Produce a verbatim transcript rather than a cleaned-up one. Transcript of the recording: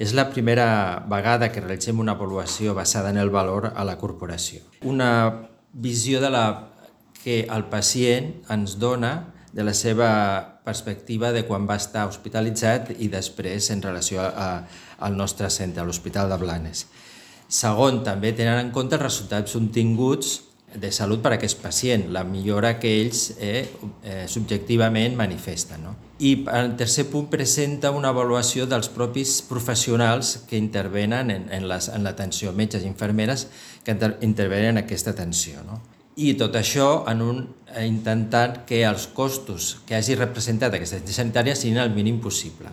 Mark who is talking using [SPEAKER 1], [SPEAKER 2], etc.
[SPEAKER 1] És la primera vegada que realitzem una avaluació basada en el valor a la corporació. Una visió de la que el pacient ens dona de la seva perspectiva de quan va estar hospitalitzat i després en relació a, al nostre centre, a l'Hospital de Blanes. Segon, també tenen en compte els resultats obtinguts de salut per a aquest pacient, la millora que ells eh, eh, subjectivament manifesten. No? I en tercer punt presenta una avaluació dels propis professionals que intervenen en, en l'atenció, metges i infermeres que inter intervenen en aquesta atenció. No? I tot això en un, intentant que els costos que hagi representat aquesta atenció sanitària siguin el mínim possible.